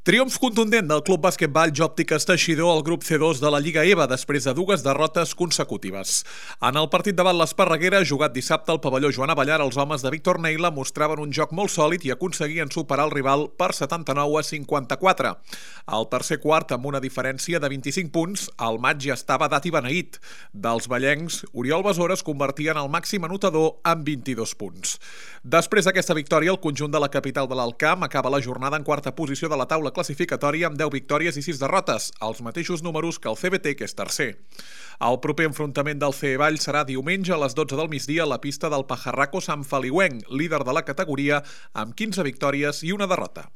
Triomf contundent del Club Basquetball Òptiques Teixidor al grup C2 de la Lliga EVA després de dues derrotes consecutives. En el partit davant l'Esparreguera, jugat dissabte al pavelló Joan Avellar, els homes de Víctor Neila mostraven un joc molt sòlid i aconseguien superar el rival per 79-54. Al tercer quart, amb una diferència de 25 punts, el maig ja estava dat i beneït. Dels ballencs, Oriol Besora es convertia en el màxim anotador amb 22 punts. Després d'aquesta victòria, el conjunt de la capital de l'Alt Camp acaba la jornada en quarta posició de la taula classificatòria amb 10 victòries i 6 derrotes, els mateixos números que el CBT, que és tercer. El proper enfrontament del CEVall serà diumenge a les 12 del migdia a la pista del Pajarraco Sant Feliuenc, líder de la categoria amb 15 victòries i una derrota.